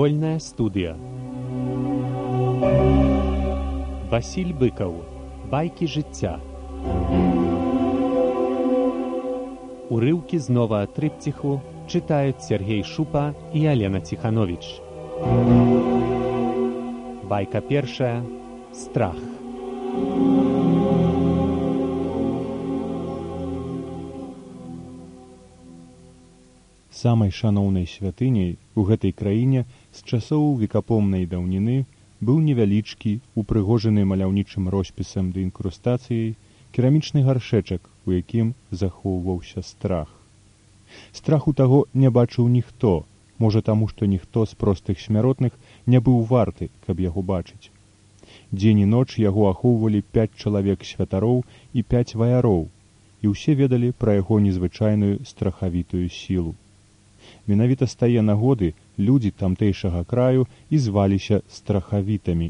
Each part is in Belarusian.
Вольная студыя. Васіль Быкаў. Байкі жыцця. Урыўкі з новага трыпціху чытаюць Сергей Шупа і Алена Ціхановіч. Байка першая. Страх. Самай шаноўнай святыняй у гэтай краіне з часоў векапомнай даўніны быў невялічкі, упрыгожаны маляўнічым роспісам ды інкрустацыяй, керамічны гаршэчак, у якім захоўваўся страх. Страху таго не бачыў ніхто, можа таму, што ніхто з простых смяротных не быў варты, каб яго бачыць. Дзень і ноч яго ахоўвалі 5 чалавек святароў і 5 ваяроў, і ўсе ведалі пра яго незвычайную страхавітую сілу. Менавіта з тае нагоды людзі тамтэйшага краю і зваліся страхавітамі.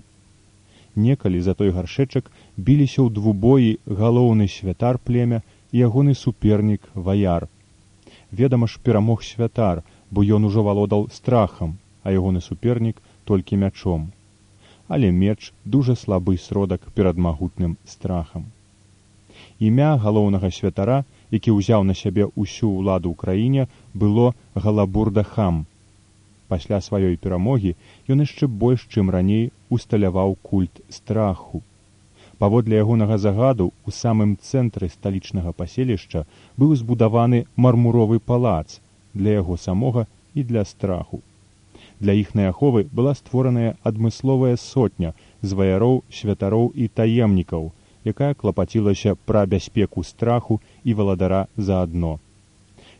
Некалі за той гаршэчак біліся ў двубоі галоўны святар племя і ягоны супернік ваяр. Ведама ж, перамог святар, бо ён ужо валодаў страхам, а ягоны супернік толькі мячом. Але меч дужа слабы сродак перад магутным страхам. Імя галоўнага святара, які ўзяў на сябе ўсю ўладу ў краіне, было Галабурда-хам. Пасля сваёй перамогі ён яшчэ больш, чым раней, усталяваў культ страху. Паводле ягонага загаду, у самым цэнтры сталічнага паселішча быў збудаваны мармуровы палац для яго самога і для страху. Для іхнай аховы была створаная адмысловая сотня з ваяроў, святароў і таемнікаў, якая клапацілася пра бяспеку страху і валадара заадно.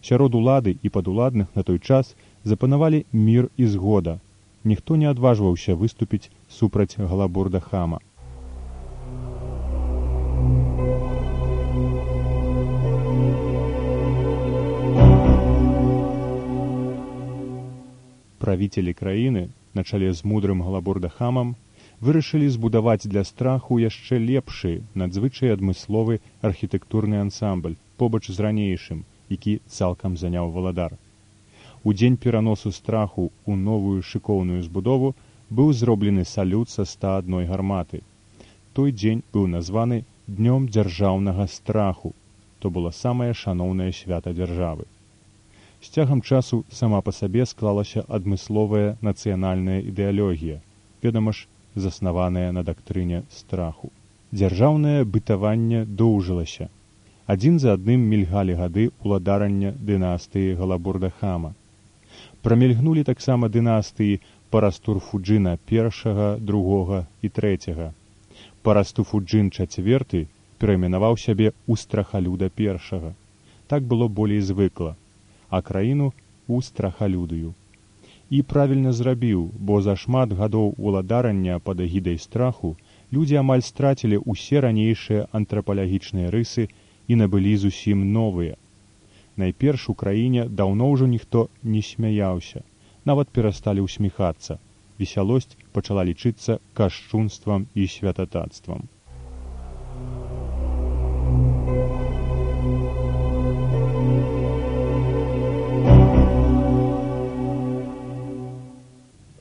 Сярод улады і падуладных на той час запанавалі мір і згода. Ніхто не адважваўся выступіць супраць Галабурда-хама. Правіцелі краіны, на чале з мудрым Галабурда-хамам, вырашылі збудаваць для страху яшчэ лепшы, надзвычай адмысловы архітэктурны ансамбль, побач з ранейшым, які цалкам заняў валадар. У дзень пераносу страху ў новую шыкоўную збудову быў зроблены салют са 101 гарматы. Той дзень быў названы Днём дзяржаўнага страху. То было самае шаноўнае свята дзяржавы. З цягам часу сама па сабе склалася адмысловая нацыянальная ідэалогія, ведама ж, заснаваная на дактрыне страху. Дзяржаўнае бытаванне доўжылася. Адзін за адным мільгалі гады ўладарання дынастыі Галабурда-хама. Прамільгнулі таксама дынастыі Парастур-фуджына I, II і III. Парастур-фуджын IV перайменаваў сябе ў страхалюда I. Так было болей звыкла, а краіну ў страхалюдыю. І правільна зрабіў, бо за шмат гадоў уладарання пад эгідай страху людзі амаль страцілі ўсе ранейшыя антрапалагічныя рысы і набылі зусім новыя. Найперш у краіне даўно ўжо ніхто не смяяўся, нават перасталі ўсміхацца. Весялосць пачала лічыцца кашчунствам і святататствам.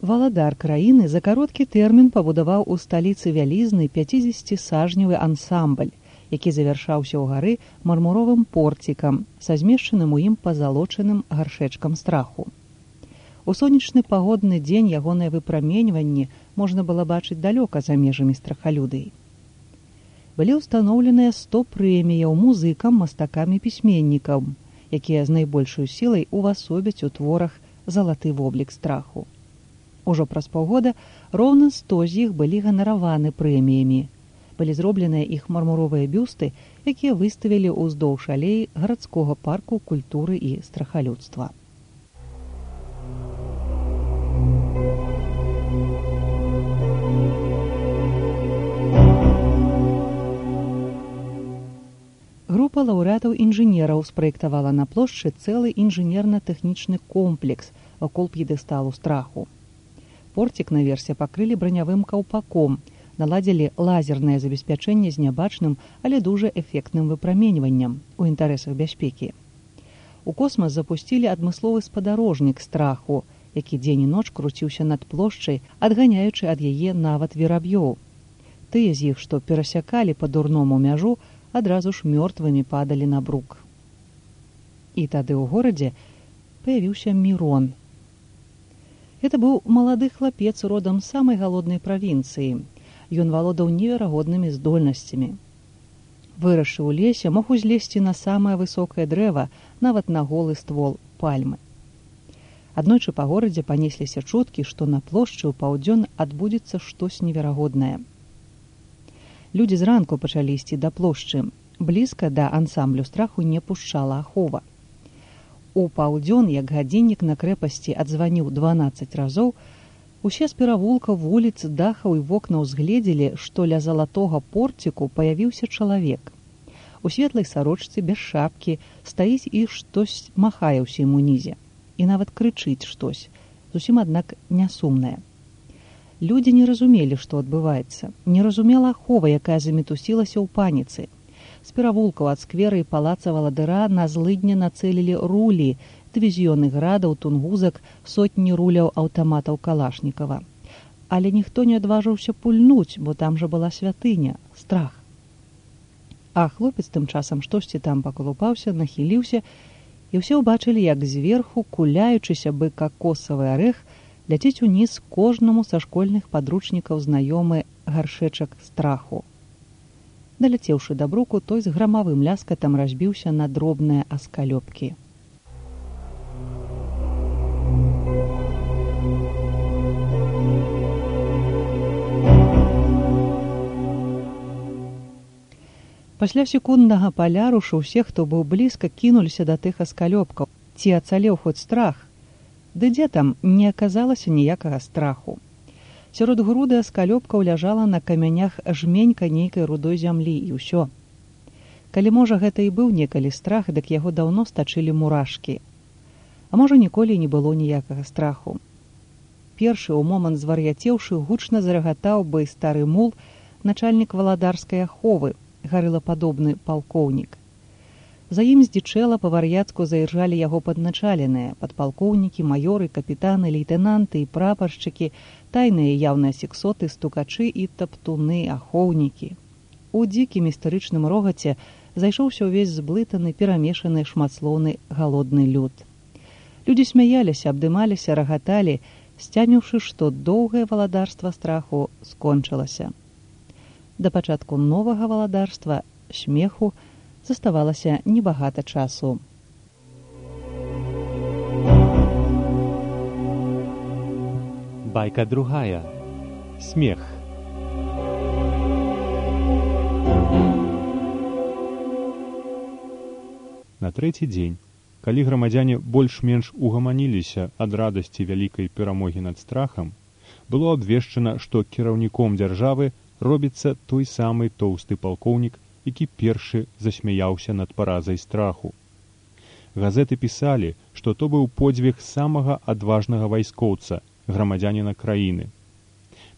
Валадар краіны за кароткі тэрмін пабудаваў у сталіцы вялізны 50-сажневы ансамбль, які завяршаўся ў гары мармуровым порцікам са змешчаным у ім пазалочаным гаршэчкам страху. У сонечны пагодны дзень ягонае выпраменьванне можна было бачыць далёка за межамі страхалюдыі. Былі ўстаноўленыя 100 прэміяў музыкам, мастакам і пісьменнікам, якія з найбольшай сілай увасобяць у творах залаты воблік страху. Ужо праз паўгода роўна 100 з іх былі ганараваны прэміямі. Былі зробленыя іх мармуровыя бюсты, якія выставілі ўздоўж алеі гарадскога парку культуры і страхалюдства. Група лаўрэатаў інжынераў спраектавала на плошчы цэлы інжынерна-тэхнічны комплекс вакол п'едэсталу страху. Порцік наверсе пакрылі бранявым каўпаком, наладзілі лазернае забеспячэнне з нябачным, але дужа эфектным выпраменьваннем у інтарэсах бяспекі. У космас запусцілі адмысловы спадарожнік страху, які дзень і ноч круціўся над плошчай, адганяючы ад яе нават вераб'ёў. Тыя з іх, што перасякалі па-дурному мяжу, адразу ж мёртвымі падалі на брук. І тады ў горадзе паявіўся Мірон. Гэта быў малады хлапец родам з самай галоднай правінцыі. Ён валодаў неверагоднымі здольнасцямі. Вырасшы ў лесе, мог узлезці на самае высокае дрэва, нават на голы ствол пальмы. Аднойчы па горадзе панесліся чуткі, што на плошчы ў паўдзён адбудзецца штось неверагоднае. Людзі зранку пачалі ісці да плошчы. Блізка да ансамблю страху не пушчала ахова. У паўдзён, як гадзіннік на крэпасці адзваніў 12 разоў, усе з перавулкаў, вуліц, дахаў і вокнаў згледзелі, што ля залатога порціку паявіўся чалавек. У светлай сарочцы, без шапкі, стаіць і штось махае ўсім унізе. І нават крычыць штось, зусім, аднак, нясумнае. Людзі не разумелі, што адбываецца. Не разумела ахова, якая замітусілася ў паніцы. З перавулкаў ад сквера і палаца Валадыра на злыдня нацэлілі рулі, дывізіёны градаў, тунгузак, сотні руляў аўтаматаў Калашнікава. Але ніхто не адважыўся пульнуць, бо там жа была святыня, страх. А хлопец тым часам штосьці там паколупаўся, нахіліўся, і ўсе ўбачылі, як зверху, куляючыся бы какосавы арэх, ляціць уніз кожнаму са школьных падручнікаў знаёмы гаршэчак страху. Даляцеўшы да бруку, той з грамавым ляскатам разбіўся на дробныя аскалёпкі. Пасля секунднага палярушу ўсе, хто быў блізка, кінуліся да тых аскалёпкаў. Ці ацалеў хоць страх? Ды дзе там не аказалася ніякага страху. Сярод груды аскалёпкаў ляжала на камянях жменька нейкай рудой зямлі, і ўсё. Калі, можа, гэта і быў некалі страх, дык яго даўно стачылі мурашкі. А можа, ніколі не было ніякага страху. Першы ў момант звар'яцеўшы гучна зарагатаў бы стары мул, начальнік валадарскай аховы, гарылападобны палкоўнік. За ім здзічэла па-вар'яцку заіржалі яго падначаленыя, падпалкоўнікі, маёры, капітаны, лейтэнанты і прапаршчыкі, тайныя яўныя сексоты, стукачы і таптуны, ахоўнікі. У дзікім істарычным рогаце зайшоўся ўвесь зблытаны, перамешаны, шматслоўны, галодны люд. Людзі смяяліся, абдымаліся, рагаталі, сцяміўшы, што доўгае валадарства страху скончылася. Да пачатку новага валадарства, смеху, заставалася небагата часу. Байка другая. Смех. На трэці дзень, калі грамадзяне больш-менш угаманіліся ад радасці вялікай перамогі над страхам, было абвешчана, што кіраўніком дзяржавы робіцца той самы тоўсты палкоўнік, які першы засмяяўся над паразай страху. Газеты пісалі, што то быў подзвіг самага адважнага вайскоўца, грамадзяніна краіны.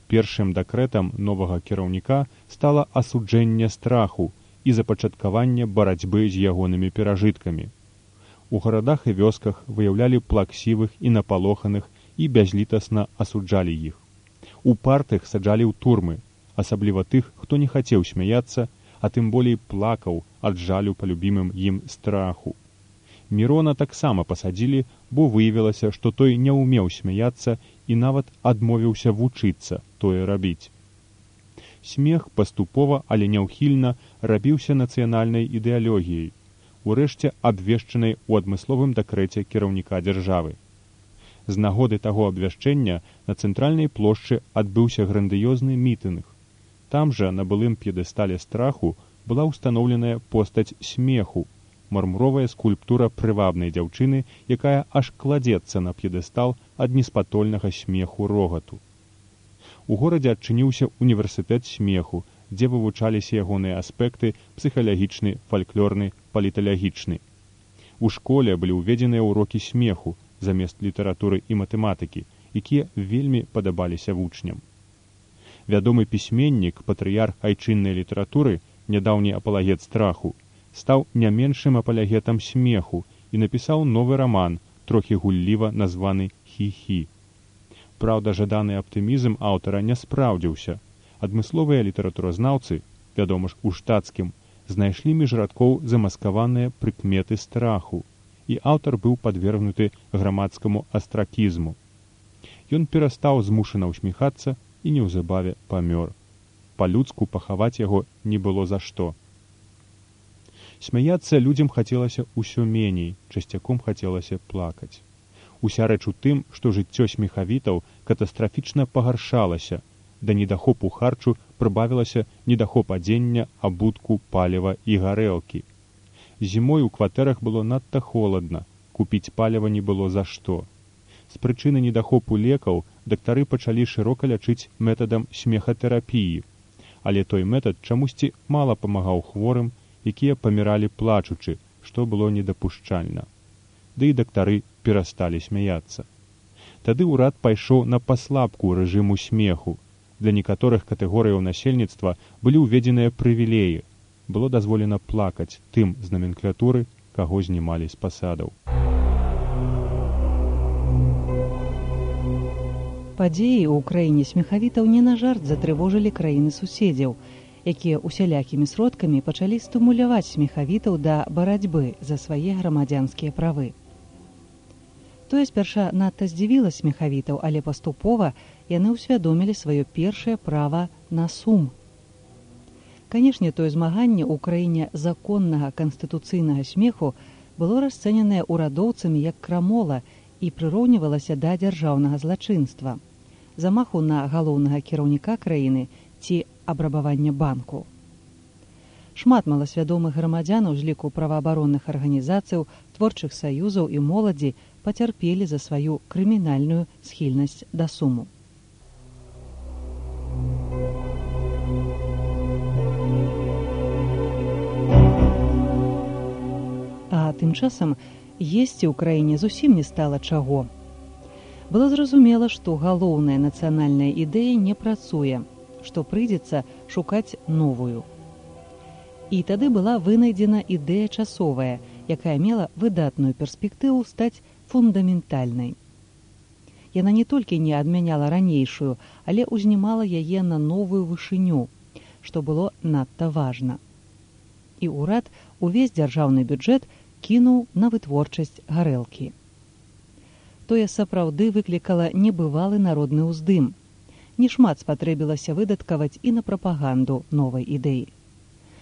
Першым дэкрэтам новага кіраўніка стала асуджэнне страху і запачаткаванне барацьбы з ягонымі перажыткамі. У гарадах і вёсках выяўлялі плаксівых і напалоханых і бязлітасна асуджалі іх. У партых саджалі ў турмы, асабліва тых, хто не хацеў смяяцца, а тым болей плакаў ад жалю па любімым ім страху. Мірона таксама пасадзілі, бо выявілася, што той не ўмеў смяяцца і нават адмовіўся вучыцца тое рабіць. Смех паступова, але няўхільна рабіўся нацыянальнай ідэалогіяй, урэшце абвешчанай у адмысловым дэкрэце кіраўніка дзяржавы. З нагоды таго абвяшчэння на цэнтральнай плошчы адбыўся грандыёзны мітынг. Там жа на былым п'едэстале страху была ўстаноўленая постаць смеху, мармуровая скульптура прывабнай дзяўчыны, якая аж кладзецца на п'едэстал ад неспатольнага смеху рогату. У горадзе адчыніўся універсітэт смеху, дзе вывучаліся ягоныя аспекты псіхалагічны, фальклорны, паліталагічны. У школе былі ўведзеныя ўрокі смеху замест літаратуры і матэматыкі, якія вельмі падабаліся вучням. Вядомы пісьменнік, патрыярх айчыннай літаратуры, нядаўні апалагет страху, стаў не меншым апалагетам смеху і напісаў новы раман, трохі гулліва названы «Хі-хі». Праўда, жаданы аптымізм аўтара не спраўдзіўся. Адмысловыя літаратуразнаўцы, вядома ж, у штатскім, знайшлі між радкоў замаскаваныя прыкметы страху, і аўтар быў падвергнуты грамадскаму астракізму. Ён перастаў змушана ўсміхацца і неўзабаве памёр. Па-людску пахаваць яго не было за што. Смяяцца людзям хацелася ўсё меней, часцяком хацелася плакаць. Уся рэч у тым, што жыццё смехавітаў катастрафічна пагаршалася, да недахопу харчу прыбавілася недахоп адзення, абутку, паліва і гарэлкі. Зімой у кватэрах было надта холадна, купіць паліва не было за што. З прычыны недахопу лекаў дактары пачалі шырока лячыць метадам смехатэрапіі, але той метад чамусьці мала памагаў хворым, якія паміралі плачучы, што было недапушчальна. Ды і дактары перасталі смяяцца. Тады ўрад пайшоў на паслабку рэжыму смеху. Для некаторых катэгорыяў насельніцтва былі ўведзеныя прывілеі. Было дазволена плакаць тым з наменклатуры, каго знімалі з пасадаў. Падзеі ў краіне смехавітаў не на жарт затрывожылі краіны суседзяў, якія усялякімі сродкамі пачалі стымуляваць смехавітаў да барацьбы за свае грамадзянскія правы. Тое спярша надта здзівіла смехавітаў, але паступова яны ўсвядомілі сваё першае права на сум. Канешне, тое змаганне ў краіне законнага канстытуцыйнага смеху было расцэненае ўрадоўцамі як крамола і прыроўнівалася да дзяржаўнага злачынства, замаху на галоўнага кіраўніка краіны ці абрабавання банку. Шмат маласвядомых грамадзянаў з ліку праваабаронных арганізацыяў, творчых саюзаў і моладзі пацярпелі за сваю крымінальную схільнасць да суму. А тым часам есці ў краіне зусім не стала чаго. Было зразумела, што галоўная нацыянальная ідэя не працуе, што прыйдзецца шукаць новую. І тады была вынайдзена ідэя часовая, якая мела выдатную перспектыву стаць фундаментальнай. Яна не толькі не адмяняла ранейшую, але ўзнімала яе на новую вышыню, што было надта важна. І ўрад увесь дзяржаўны бюджэт кінуў на вытворчасць гарэлкі. Тое сапраўды выклікала небывалы народны ўздым. Нешмат спатрэбілася выдаткаваць і на прапаганду новай ідэі.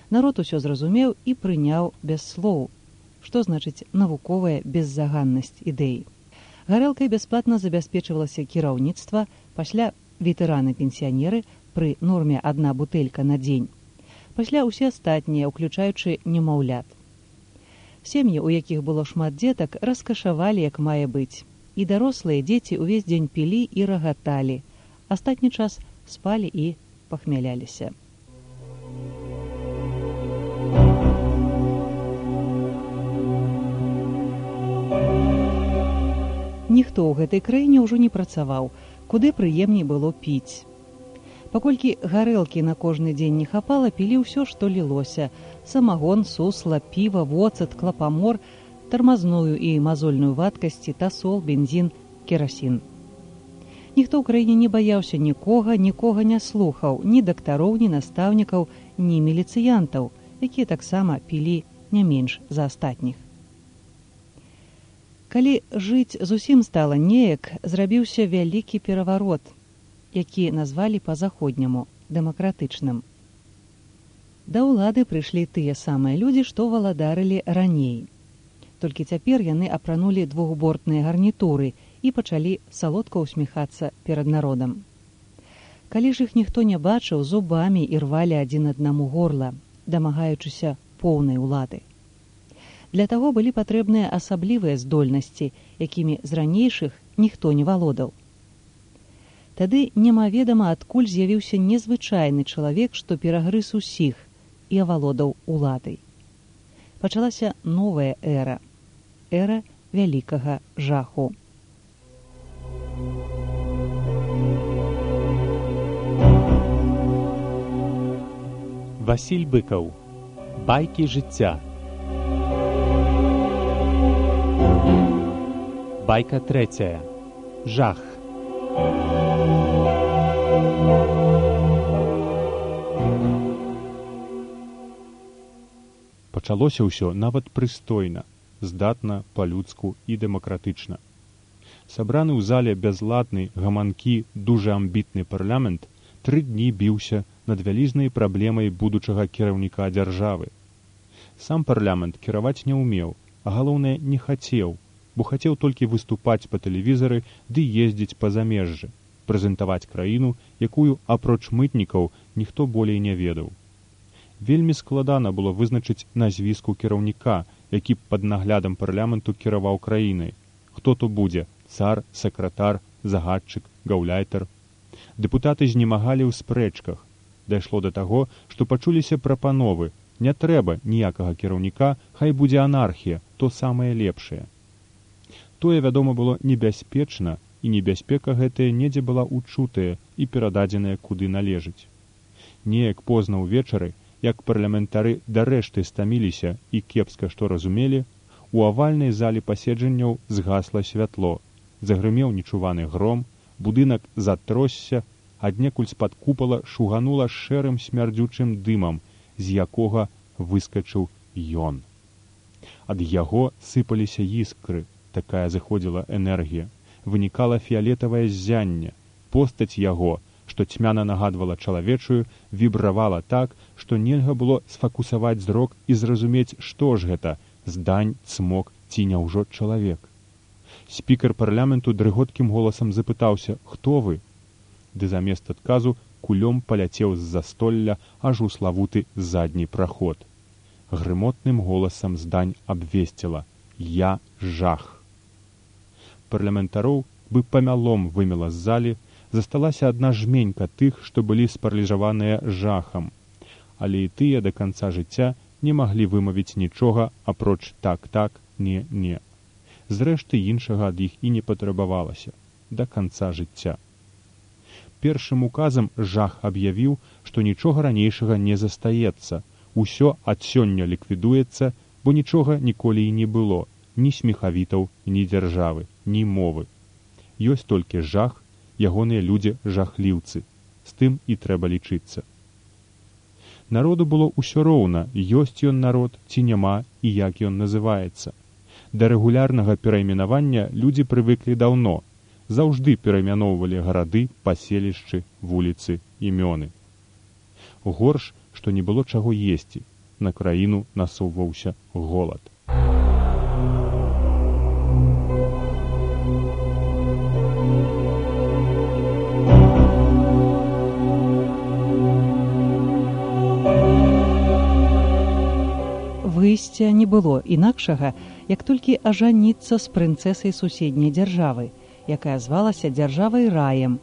Народ усё зразумеў і прыняў без слоў, што значыць навуковая беззаганнасць ідэі. Гарэлкай бясплатна забяспечвалася кіраўніцтва, пасля ветэраны-пенсіянеры пры норме 1 бутэлька на дзень, пасля ўсе астатнія, уключаючы немаўлят. Сем'і, у якіх было шмат дзетак, раскашавалі, як мае быць, і дарослыя дзеці ўвесь дзень пілі і рагаталі, астатні час спалі і пахмяляліся. Ніхто ў гэтай краіне ўжо не працаваў, куды прыемней было піць. Паколькі гарэлкі на кожны дзень не хапала, пілі ўсё, што лілося: самагон, сусла, піва, воцат, клапамор, тармазную і мазольную вадкасці, тасол, бензін, керасін. Ніхто ў краіне не баяўся нікога не слухаў, ні дактароў, ні настаўнікаў, ні міліцыянтаў, якія таксама пілі не менш за астатніх. Калі жыць зусім стала неяк, зрабіўся вялікі пераварот, які назвалі па-заходняму дэмакратычным. Да ўлады прыйшлі тыя самыя людзі, што валадарылі раней. Толькі цяпер яны апранулі двухбортныя гарнітуры і пачалі салодка ўсміхацца перад народам. Калі ж іх ніхто не бачыў, зубамі ірвалі адзін аднаму горла, дамагаючыся поўнай улады. Для таго былі патрэбныя асаблівыя здольнасці, якімі з ранейшых ніхто не валодаў. Тады немаведама адкуль з'явіўся незвычайны чалавек, што перагрыз усіх і авалодаў уладай. Пачалася новая эра, эра вялікага жаху. Васіль Быкаў. Байкі жыцця. Байка 3. Жах. Пачалося ўсё нават прыстойна, здатна, па-людску і дэмакратычна. Сабраны ў зале бязладны, гаманкі, дужа амбітны парламент 3 дні біўся над вялізнай праблемай будучага кіраўніка дзяржавы. Сам парламент кіраваць не ўмеў, а галоўнае не хацеў, бо хацеў толькі выступаць па тэлевізары ды ездзіць па замежжы, прэзентаваць краіну, якую, апроч мытнікаў, ніхто болей не ведаў. Вельмі складана было вызначыць назвіску кіраўніка, які б пад наглядам парламенту кіраваў краінай. Хто то будзе? Цар, сакратар, загадчык, гаўляйтар. Дэпутаты знемагалі ў спрэчках. Дайшло да таго, што пачуліся прапановы. Не трэба ніякага кіраўніка, хай будзе анархія, то самае лепшае. Тое, вядома, было небяспечна, і небяспека гэтая недзе была учутая і перададзеная куды належыць. Неяк позна ўвечары, як парламентары дарэшты стаміліся і кепска што разумелі, у авальнай залі паседжанняў згасла святло, загрымеў нечуваны гром, будынак затросся, аднекуль з-пад купала шуганула шэрым смярдзючым дымам, з якога выскачыў ён. Ад яго сыпаліся іскры, такая заходзіла энергія, вынікала фіялетавае ззянне, постаць яго, што цьмяна нагадвала чалавечую, вібравала так, што нельга было сфакусаваць зрок і зразумець, што ж гэта, здань, цмок ці няўжо чалавек. Спікер парламенту дрыготкім голасам запытаўся: «Хто вы?» Ды замест адказу кулём паляцеў з застолля аж у славуты задні праход. Грымотным голасам здань абвесціла: «Я жах». Парламентароў бы памялом вымела з залі, засталася адна жменька тых, што былі спаралізаваныя жахам, але і тыя да канца жыцця не маглі вымавіць нічога, апроч так-так, не-не. Зрэшты, іншага ад іх і не патрабавалася да канца жыцця. Першым указам жах аб'явіў, што нічога ранейшага не застаецца, усё ад сёння ліквідуецца, бо нічога ніколі і не было, ні смехавітаў, ні дзяржавы, ні мовы. Ёсць толькі жах, ягоныя людзі жахліўцы, з тым і трэба лічыцца. Народу было ўсё роўна, ёсць ён народ ці няма і як ён называецца. Да рэгулярнага перайменавання людзі прывыклі даўно, заўжды пераймяноўвалі гарады, паселішчы, вуліцы, імёны. Горш, што не было чаго есці, на краіну насоўваўся голад. Выйсця не было інакшага, як толькі ажаніцца з прынцэсай суседняй дзяржавы, якая звалася дзяржавай раем,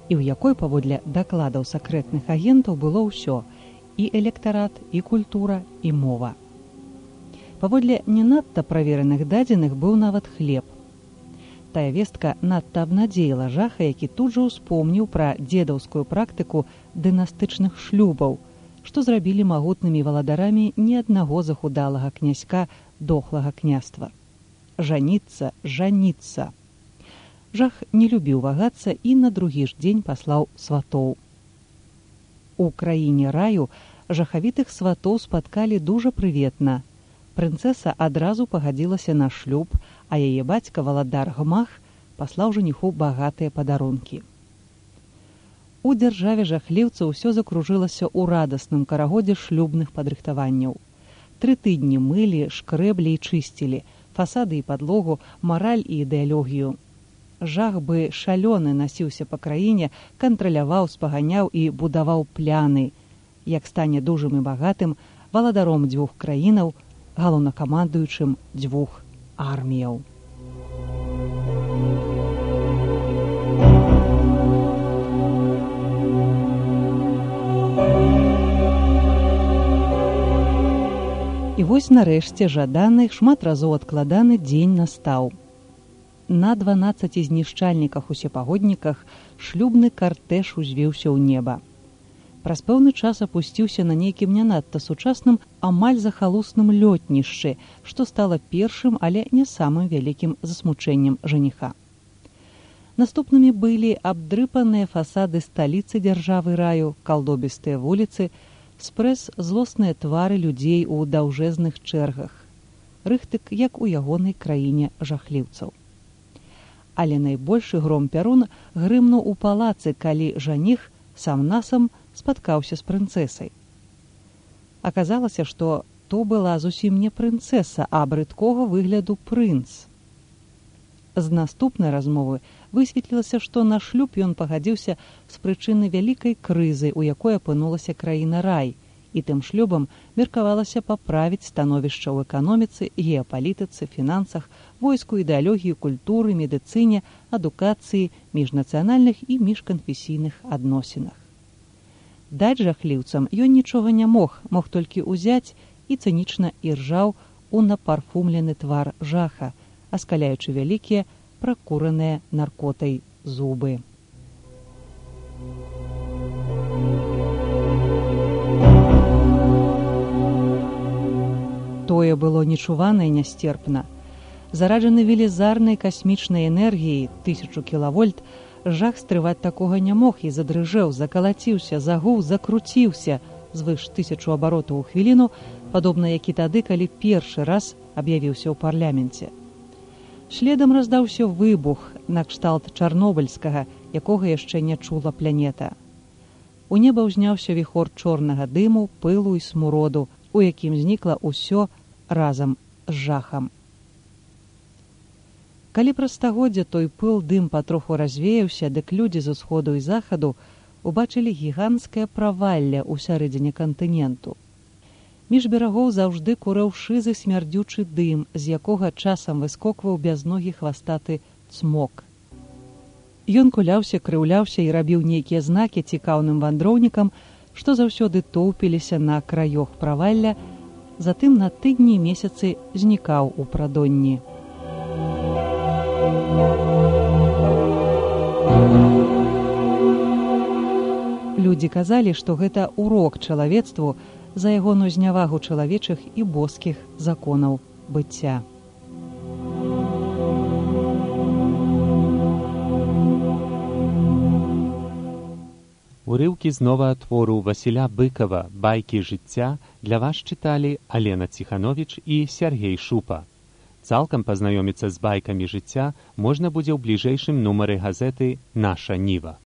і ў якой, паводле дакладаў сакрэтных агентаў, было ўсё – і электарат, і культура, і мова. Паводле не надта правераных дадзеных быў нават хлеб. Тая вестка надта абнадзеяла жаха, які тут жа ўспомніў пра дзедаўскую практыку дынастычных шлюбаў, што зрабілі магутнымі валадарамі ні аднаго захудалага князька дохлага княства. Жаніцца, жаніцца. Жах не любіў вагацца і на другі ж дзень паслаў сватоў. У краіне раю жахавітых сватоў спаткалі дужа прыветна. Прынцэса адразу пагадзілася на шлюб, а яе бацька валадар Гмах паслаў жаніху багатыя падарункі. У дзяржаве жахліўца ўсё закружылася ў радасным карагодзе шлюбных падрыхтаванняў. 3 тыдні мылі, шкрэблі і чысцілі, фасады і падлогу, мараль і ідэалогію. Жах бы шалёны насіўся па краіне, кантраляваў, спаганяў і будаваў пляны. Як стане дужым і багатым, валадаром 2 краінаў, галоўнакамандуючым 2 арміяў. І вось нарэшце жаданы, шмат разоў адкладаны дзень настаў. На 12 знішчальніках усепагодніках шлюбны картэж узвіўся ў неба. Праз пэўны час апусціўся на нейкім не надта сучасным, амаль захалусным лётнішчы, што стала першым, але не самым вялікім засмучэннем жаніха. Наступнымі былі абдрыпаныя фасады сталіцы дзяржавы раю, калдобістыя вуліцы, спрэс злосныя твары людзей у даўжэзных чэргах. Рыхтык, як у ягонай краіне жахліўцаў. Але найбольшы гром-пярун грымнуў у палацы, калі жаніх сам-насам спаткаўся з прынцэсай. Аказалася, што то была зусім не прынцэса, а брыдкога выгляду прынц. З наступнай размовы высветлілася, што на шлюб ён пагадзіўся з прычыны вялікай крызы, у якой апынулася краіна рай, і тым шлюбам меркавалася паправіць становішча ў эканоміцы, геапалітыцы, фінансах, войску, ідэалогіі, культуры, медыцыне, адукацыі, міжнацыянальных і міжканфесійных адносінах. Даць жахліўцам ён нічога не мог толькі ўзяць і цынічна іржаў у напарфумлены твар жаха, аскаляючы вялікія, пракураныя наркотай зубы. Тое было нечувана і нястерпна. Зараджаны велізарнай касмічнай энергіяй 1000 кілавольт, жах стрываць такога не мог і задрыжэў, закалаціўся, загуў, закруціўся звыш 1000 абаротаў у хвіліну, падобна як і тады, калі першы раз аб'явіўся ў парламенце. Следам раздаўся выбух накшталт чарнобыльскага, якога яшчэ не чула планета. У неба ўзняўся віхор чорнага дыму, пылу і смуроду, у якім знікла ўсё разам з жахам. Калі праз стагоддзя той пыл дым патроху развеяўся, дык людзі з усходу і захаду убачылі гіганцкае правалле ў сярэдзіне кантыненту. Між берагоў заўжды курэў шызы смярдзючы дым, з якога часам выскокваў бязногі хвастаты цмок. Ён куляўся, крыўляўся і рабіў нейкія знакі цікаўным вандроўнікам, што заўсёды тоўпіліся на краёх правалля, затым на тыдні і месяцы знікаў у прадонні. Людзі казалі, што гэта урок чалавецтву за ягоную знявагу чалавечых і боскіх законаў быцця. Урыўкі з новага твору Васіля Быкава «Байкі жыцця» для вас чыталі Алена Ціхановіч і Сяргей Шупа. Цалкам пазнаёміцца з байкамі жыцця можна будзе ў бліжэйшым нумары газеты «Наша Ніва».